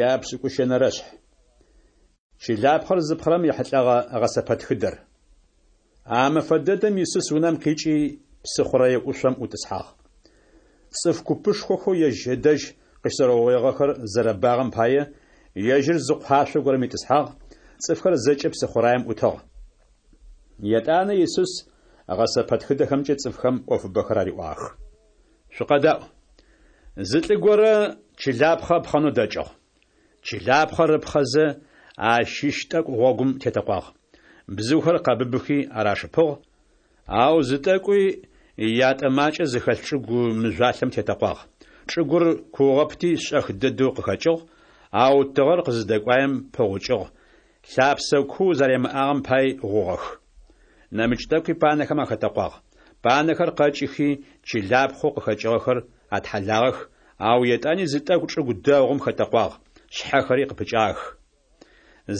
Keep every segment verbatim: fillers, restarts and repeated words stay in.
Япшӏыкӏущэнэрэшъхь. Чылапхъэр зыпхъэрэм ехьылӏэгъэ гъэсэпэтхыдэр. А мэфэ дэдэм Исус унэм къикӏи, псыхъурэе ӏушъом ӏутӏысхьагъ. Цӏыф купышхохэу ежь ыдэжь къыщызэрэугъоигъэхэр зэрэбагъэм пае, ежьыр зы къуашъо горэм итӏысхьагъ, цӏыфхэр зэкӏэ псыхъураем ӏутыгъ. Етӏанэ Исус гъэсэпэтхыдэхэмкӏэ цӏыфхэм ӏофыбэхэр ариӏуагъэх. Шъукъэдаӏу. Зы лӏы горэ чылапхъэ ыпхъэнэу дэкӏыгъ. Чылапхъэр ыпхъэзэ, ащыщ тӏэкӏу гъогум тетэкъуагъ. Бзыухэр къэбыбыхи арашыпыгъ, ау зы тӏэкӏуи ятӏэ макӏэ зыхэлъ чӏыгу мыжъуалъэм тетэкъуагъ. Чӏыгур куугъэпти шӏэх дэдэу къыхэкӏыгъ, ау тыгъэр къызыдэкӏуаем пыгъукӏыгъ, лъапсэ куу зэримыӏагъэм пай гъугъэх. Нэмыкӏ тӏэкӏуи панэхэм ахэтэкъуагъ. Панэхэр къэкӏыхи, чылапхъэу къыхэкӏыгъэхэр атхьалагъэх, ау етӏани зы тӏэкӏу чӏыгу дэгъум хэтэкъуагъ, шъхьэхэри къыпыкӏагъэх.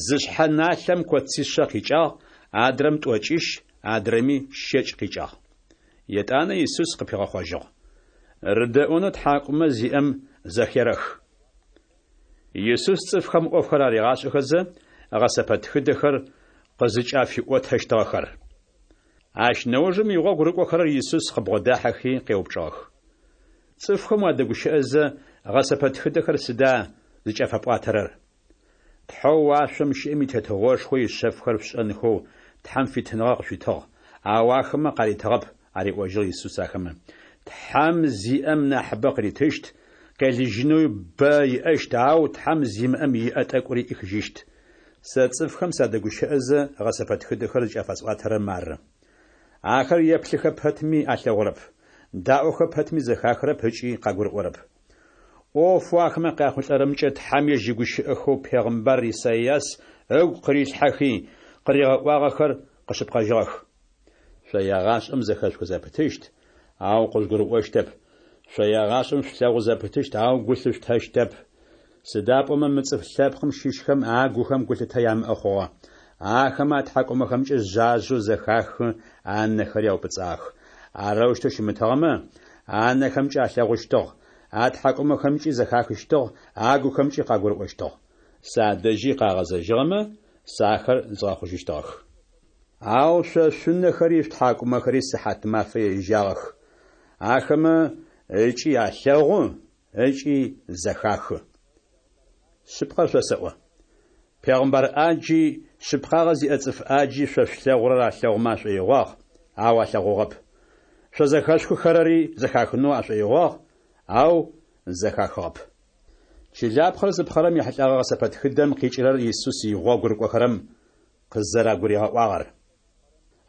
Зы шъхьэ налъэм коцишъэ къикӏагъ, адрэм тӏокӏищ, адрэми щэкӏ къикӏагъ. Етӏанэ Исус къыпигъэхъожьыгъ: Рыдэӏонэу тхьакӏумэ зиӏэм зэхерэх. Исус цӏыфхэм ӏофхэр аригъашӏэхэзэ, гъэсэпэтхыдэхэр къызыкӏафиӏотэщтыгъэхэр. Ащ нэужым игъогу рыкӏохэрэр Исус къыбгъодахьэхи къеупчӏыгъэх: Цӏыфхэм уадэгущыӏэзэ, гъэсэпэтхыдэхэр сыда зыкӏафэпӏуатэрэр? Тхьэу уашъом щыӏэм и Тетыгъошхо ишъэфхэр шъушӏэнхэу Тхьэм фитыныгъэ къышъуитыгъ, ау ахэмэ къаритыгъэп, ариӏожьыгъ Исус ахэмэ. Тхьэм зиӏэм нахьыбэ къыритыщт, къелыжьынэуи бэ иӏэщт, ау Тхьэм зимыӏэм иӏэ тӏэкӏури ӏихыжьыщт. Сэ цӏыфхэм садэгущыӏэзэ, гъэсэпэтхыдэхэр зыкӏафэсӏуатэрэр мары. Ахэр еплъыхэ пэтми алъэгъурэп, даӏохэ пэтми зэхахырэп ыкӏи къагурыӏорэп. ӏофэу ахэмэ къяхъулӏэрэмкӏэ Тхьэм ежь игущыӏэхэу пегъымбар Исайас ыгу къырилъхьэхи, къыригъэӏуагъэхэр къэшъыпкъэжьыгъэх. Шъо егъашӏэм зэхэшъухы зэпытыщт, ау къыжъугурыӏощтэп, шъо егъашӏэм шъулъэгъу зэпытыщт, ау гу лъышъутэщтэп. Сыда пӏомэ мы цӏыф лъэпкъым щыщхэм агухэм гулъытэ ямыӏэ хъугъэ. Ахэмэ атхьакӏумэхэмкӏэ жъажъэу зэхахы, анэхэри аупӏыцӏагъэх. Арэущтэу щымытыгъэмэ, анэхэмкӏэ алъэгъущтыгъ, атхьакӏумэхэмкӏи зэхахыщтыгъ, агухэмкӏи къагурыӏощтыгъ. Садэжьи къагъэзэжьыгъэмэ, сэ ахэр згъэхъужьыщтыгъэх. Ау шъо шъунэхэри шъутхьакӏумэхэри сыхьатмафэ ежьагъэх. Ахэмэ ыкӏи алъэгъу, ыкӏи зэхахы. Шъыпкъэр шъосэӏо: пегъымбар ӏаджи, шъыпкъагъэ зиӏэ цӏыф ӏаджи шъо шъулъэгъурэр алъэгъумэ ашӏоигъуагъ, ау алъэгъугъэп. Шъо зэхэшъухыхэрэри зэхахынэу ашӏоигъуагъ, ау зэхахыгъэп. Чылапхъэр зыпхъэрэм ехьылӏэгъэ гъэсэпэтхыдэм къикӏырэр Исус игъогу рыкӏохэрэм къызэрагуригъэӏуагъэр.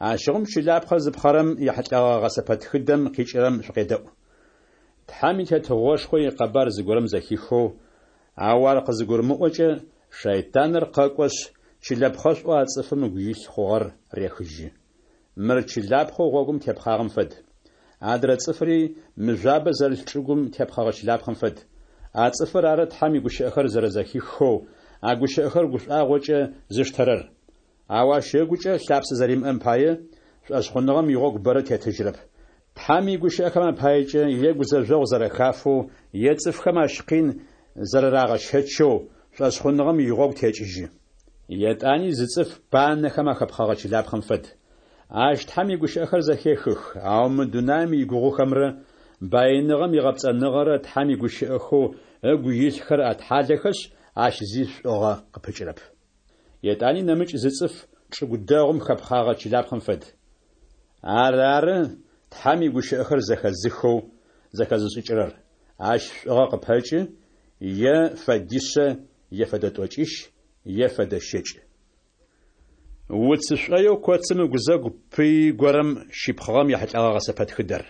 Ащыгъум чылапхъэр зыпхъэрэм ехьылӏэгъэ гъэсэпэтхыдэм къикӏырэм шъукъедэӏу. Тхьэм и Тетыгъошхо икъэбар зыгорэм зэхихэу, ау ар къызыгурымыӏокӏэ, шэйтаныр къэкӏошъ, чылэпхъэшӏоу а цӏыфым ыгу илъ хъугъэр рехыжьы. Мыр чылапхъэу гъогум тепхъагъэм фэд. Адрэ цӏыфри мыжъуабэ зэрылъ чӏыгум тепхъэгъэ чылапхъэм фэд. А цӏыфыр ары Тхьэм игущыӏэхэр зэрэзэхихэу, а гущыӏэхэр гушӏуагъокӏэ зыштэрэр. Ау ащ ыгукӏэ лъапсэ зэримыӏэм пае, шӏошъхъуныгъэм игъогу бэрэ тетыжьрэп. Тхьэм игущыӏэхэм апаекӏэ е гузэжъогъу зэрэхафэу, е цӏыфхэм ащ къин зэрэрагъэщэчэу, шӏошъхъуныгъэм игъогу текӏыжьы. Етӏани зы цӏыф панэхэм ахэпхъэгъэ чылапхъэм фэд. Ащ Тхьэм игущыӏэхэр зэхехых, ау мы дунаим игугъухэмрэ баиныгъэм игъэпцӏэныгъэрэ Тхьэм игущыӏэхэу ыгу илъхэр атхьалэхэшъ, ащ зи шӏугъэ къыпыкӏырэп. Етӏани нэмыкӏ зы цӏыф чӏыгу дэгъум хэпхъагъэ чылапхъэм фэд. Ар ары Тхьэм игущыӏэхэр зэхэзыхэу зэхэзышӏыкӏырэр. Ащ шӏугъэ къыпэкӏы, е фэдишъэ, е фэдэ тӏокӏищ, е фэдэ щэкӏ. Уц шӏоеу коцым ыгузэгу пыи горэм щипхъыгъэм ехьылӏэгъэ гъэсэпэтхыдэр.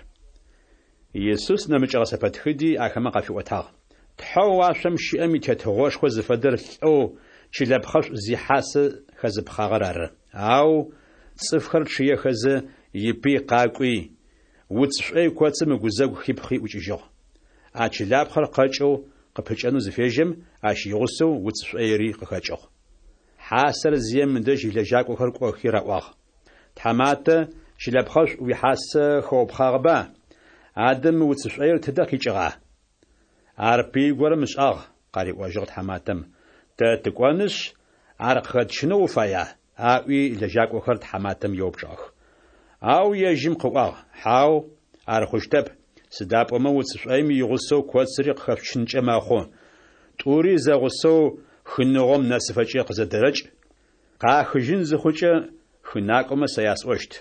Исус нэмыкӏ гъэсэпэтхыди ахэмэ къафиӏотагъ. Тхьэу уашъом щыӏэм и Тетыгъошхо зыфэдэр лӏэу чылэпхъэшӏу зихьасэ хэзыпхъагъэр ары. Ау цӏыфхэр чъыехэзэ, ипый къакӏуи, уц шӏой коцым ыгузэгу хипхъи ӏукӏыжьыгъ. А чылапхъэр къэкӏэу къыпыкӏэнэу зыфежьэм, ащ игъусэу уц шӏоири къыхэкӏыгъ. Хьасэр зием ыдэжь илэжьакӏохэр кӏохи раӏуагъ: Тхьаматэ, чылэпхъэшӏу уихьасэ хэупхъагъэба? Адэ мы уц шӏоир тыдэ къикӏыгъа? Ар пыи горэм ышӏагъ, къариӏожьыгъ тхьаматэм. Тэ тыкӏонышъ, ар къыхэтщынэу уфая? аӏуи, лэжьакӏохэр тхьаматэм еупчӏыгъэх. Ау ежьым къыӏуагъ: Хьау, ар хъущтэп, сыда пӏомэ уц шӏоим игъусэу коцыри къыхэшъучынкӏэ мэхъу. Тӏури зэгъусэу хыныгъом нэсыфэкӏэ къызэдэрэкӏ. Къахыжьын зыхъукӏэ, хынакӏомэ сэ ясӏощт: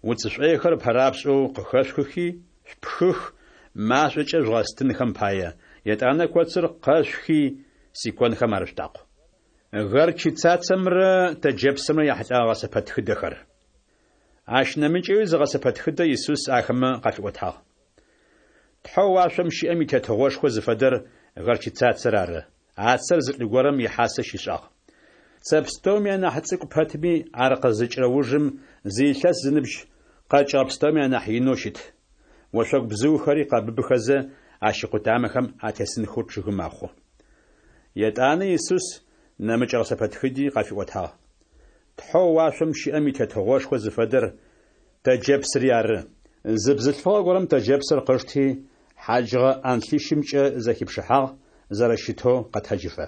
Уц шӏойхэр ыпэрапшӏэу къыхэшъухи шъупхых, машӏокӏэ жъугъэстынхэм пае, етӏанэ коцыр къэшъухи, сиконхэм арышъутакъу. Горчицацэмрэ тэджэпсымрэ яхьылӏэгъэ гъэсэпэтхыдэхэр. Ащ нэмыкӏэуи зы гъэсэпэтхыдэ Исус ахэмэ къафиӏотагъ. Тхьэу уашъом щыӏэм и Тетыгъошхо зыфэдэр горчицацэр ары. А цэр зы лӏы горэм ихьасэ щишӏагъ. Цэ пстэуми анахь цӏыкӏу пэтми, ар къызыкӏырэ ужым зы илъэс зыныбжь къэкӏыгъэ пстэуми анахь инэу щыт. Ошъогу бзыухэри къэбыбыхэзэ, ащ икъутамэхэм атесынхэу чъыгы мэхъу. Етӏанэ Исус нэмыкӏ гъэсэпэтхыди къафиӏотагъ. Тхьэу уашъом щыӏэм и Тетыгъошхо зыфэдэр тэджэпсыри ары. Зы бзылъфыгъэ горэм тэджэпсыр къышти, хьаджыгъэ ӏанлъищымкӏэ зэхипшыхьагъ, зэрэщытэу къэтэджыфэ.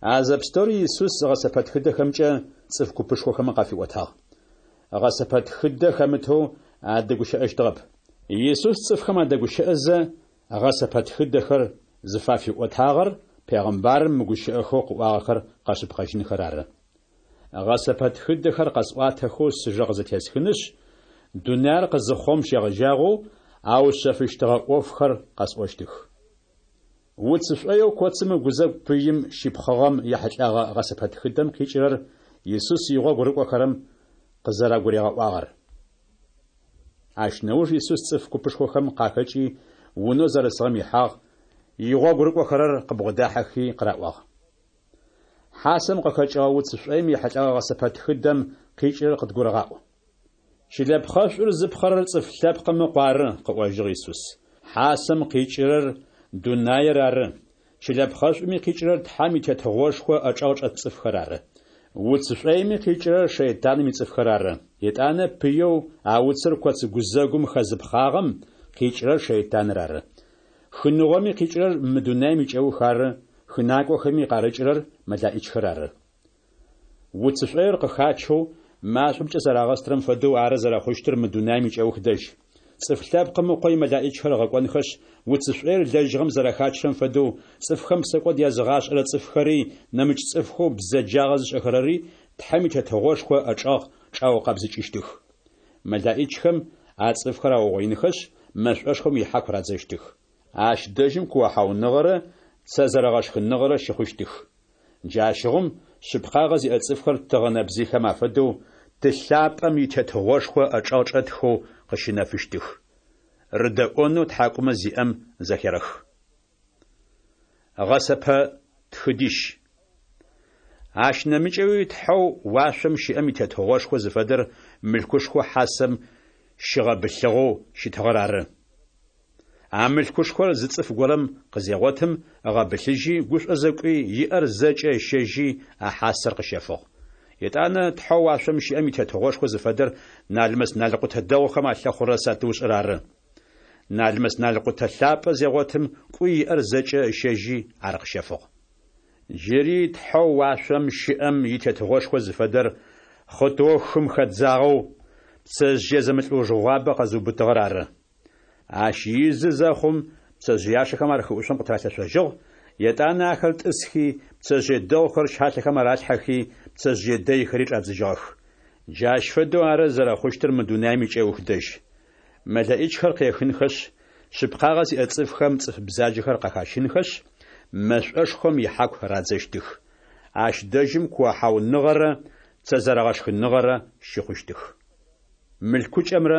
А зэпстэури Исус гъэсэпэтхыдэхэмкӏэ цӏыф купышхохэм къафиӏотагъ. Гъэсэпэтхыдэ хэмытэу адэгущыӏэщтыгъэп. Исус цӏыфхэм адэгущыӏэзэ, гъэсэпэтхыдэхэр зыфафиӏотагъэр пегъымбарым мы гущыӏэхэу къыӏуагъэхэр къэшъыпкъэжьынхэр ары. Гъэсэпэтхыдэхэр къэсӏуатэхэу сыжэ къызэтесхынышъ, дунаир къызыхъугъэм щегъэжьагъэу аушъэфыщтыгъэ ӏофхэр къэсӏощтых. Уц шӏоеу коцым ыгузэгу пыим щипхъыгъэм ехьылӏэгъэ гъэсэпэтхыдэм къикӏырэр Исус игъогу рыкӏохэрэм къызэрагуригъэӏуагъэр. Ащ нэуж Исус цӏыф купышхохэм къахэкӏи, унэу зэрысыгъэм ихьагъ, игъогу рыкӏохэрэр къыбгъодахьэхи къыраӏуагъ: Хьасэм къыхэкӏыгъэ уц шӏоим ехьылӏэгъэ гъэсэпэтхыдэм къикӏырэр къыдгурыгъаӏу. Чылэпхъэшӏур зыпхъэрэр Цӏыф Лъэпкъым Ыкъу ары, къыӏожьыгъ Исус. Хьасэм къикӏырэр дунаир ары, чылэпхъэшӏуми къикӏырэр Тхьэм и Тетыгъошхо ӏэчӏэгъ чӏэт цӏыфхэр ары. Уц шӏоими къикӏырэр шэйтаным ицӏыфхэр ары. Етӏанэ пыеу а уцыр коц гузэгум хэзыпхъагъэм къикӏырэр шэйтаныр ары. Хыныгъоми къикӏырэр мы дунаим икӏэух ары, хынакӏохэми къарыкӏырэр мэлаӏичхэр ары. Уц шӏоир къыхачэу машӏомкӏэ зэрагъэстырэм фэдэу ары зэрэхъущтыр мы дунаим икӏэух дэжь. Цӏыф Лъэпкъым Ыкъо имэлаӏичхэр ыгъэкӏонхэшъ, уц шӏоир лэжьыгъэм зэрэхачырэм фэдэу, цӏыфхэм псэкӏод языгъашӏэрэ цӏыфхэри, нэмыкӏ цӏыфхэу бзэджагъэ зышӏэхэрэри Тхьэм и Тетыгъошхо ӏэчӏэгъ чӏаукъэбзыкӏыщтых. Мэлаӏичхэм а цӏыфхэр аугъоинхэшъ, мэшӏошхом ихьаку радзэщтых. Ащ дэжьым куохьауныгъэрэ цэ зэрэгъэшхыныгъэрэ щыхъущтых. Джащыгъум шъыпкъагъэ зиӏэ цӏыфхэр тыгъэ нэбзыйхэм афэдэу Ты лъапӏэм и Тетыгъошхо ӏэчӏэгъ чӏэтхэу къыщынэфыщтых. Рыдэӏонэу тхьакӏумэ зиӏэм зэхерэх. Гъэсэпэ тхыдищ. Ащ нэмыкӏэуи Тхьэу уашъом щыӏэм и Тетыгъошхо зыфэдэр мылъкушхо хьасэм щыгъэбылъыгъэу щытыгъэр ары. А мылъкушхор зы цӏыф горэм къызегъотым, ыгъэбылъыжьи, гушӏозэ кӏуи, иӏэр зэкӏэ ыщэжьи, а хьасэр къыщэфыгъ. Етӏанэ Тхьэу уашъом щыӏэм и Тетыгъошхо зыфэдэр налмэс-налкъутэ дэгъухэм алъэхъурэ сатыушӏэр ары. Налмэс-налкъутэ лъапӏэ зегъотым, кӏуи иӏэр зэкӏэ ыщэжьи, ар къыщэфыгъ. Джыри Тхьэу уашъом щыӏэм и Тетыгъошхо зыфэдэр хъытыоу хым хэдзагъэу, пцэжъые зэмылӏэужыгъуабэ къэзыубытыгъэр ары. Ащ изы зэхъум, пцэжъыяшэхэм ар хыӏушъом къытыралъэшъожьыгъ, етӏанэ ахэр тӏысхи, пцэжъые дэгъухэр щалъэхэм аралъхьэхи, пцэжъые дэйхэри чӏадзыжьыгъэх. Джащ фэдэу ары зэрэхъущтыр мы дунаим икӏэух дэжь. Мэлэӏичхэр къехынхэшъ, шъыпкъагъэ зиӏэ цӏыфхэм цӏыф бзаджэхэр къахащынхэшъ, мэшӏошхом ихьаку радзэщтых. Ащ дэжьым куохьауныгъэрэ цэ зэрэгъэшхыныгъэрэ щыхъущтых. Мылъкукӏэмрэ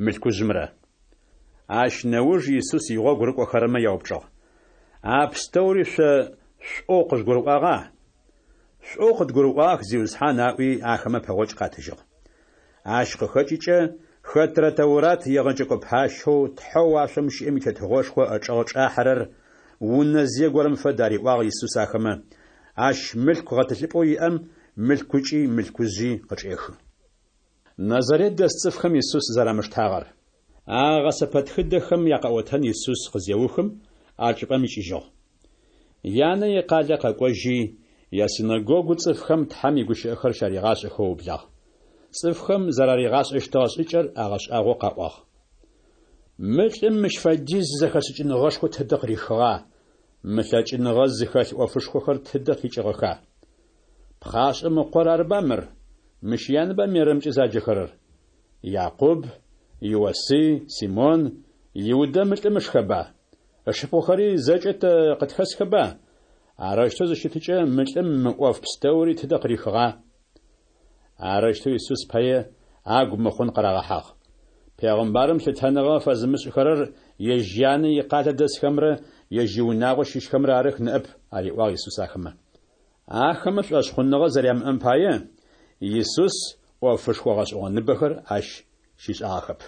мылъкужъымрэ. Ащ нэуж Исус игъогу рыкӏохэрэмэ яупчӏыгъ: А пстэури шъо шӏоу къыжъугурыӏуагъа? Шӏоу къыдгурыӏуагъэх, Зиусхьан, аӏуи, ахэмэ пэгъокӏ къатыжьыгъ. Ащ къыхэкӏыкӏэ хэтрэ Тэурат егъэджэкӏо пащэу Тхьэу уашъом щыӏэм и Тетыгъошхо ӏэчӏэгъ чӏахьэрэр унэзые горэм фэд, ариӏуагъ Исус ахэмэ, ащ мылъку гъэтӏылъыпӏэу иӏэм мылъкукӏи мылъкужъи къычӏехы. Назарет дэс цӏыфхэм Исус зэрамыштагъэр. А гъэсэпэтхыдэхэм якъэӏотэн Исус къызеухым, а чӏыпӏэм икӏыжьыгъ. Янэ икъалэ къэкӏожьи, ясинэгогу цӏыфхэм Тхьэм игущыӏэхэр щаригъашӏэхэу ыублагъ. Цӏыфхэм зэраригъашӏэщтыгъэ шӏыкӏэр агъэшӏагъоу къаӏуагъ. Мы лӏым мыщ фэдиз зэхэшӏыкӏыныгъэшхо тыдэ къырихыгъа, мы лъэкӏыныгъэ зыхэлъ ӏофышхохэр тыдэ къикӏыгъэха? Пхъашӏэм ыкъор арыба мыр? Мыщ янэба Мерэмкӏэ заджэхэрэр? Якъуб, Иосый, Симон, Иудэ мы лӏым ышхэба? Ышыпхъухэри зэкӏэ тэ къытхэсхэба? Арэущтэу зыщытыкӏэ, мы лӏым мы ӏоф пстэури тыдэ къырихыгъа? Арэущтэу Исус пае агу мыхъун къырагъэхьагъ. Пегъымбарым лъытэныгъэ фэзымышӏыхэрэр ежь янэ икъалэ дэсхэмрэ ежь иунагъо щыщхэмрэ арых ныӏэп, ариӏуагъ Исус ахэмэ. Ахэмэ шӏошъхъуныгъэ зэрямыӏэм пае, Исус ӏофышхо гъэшӏэгъоныбэхэр ащ щишӏагъэхэп.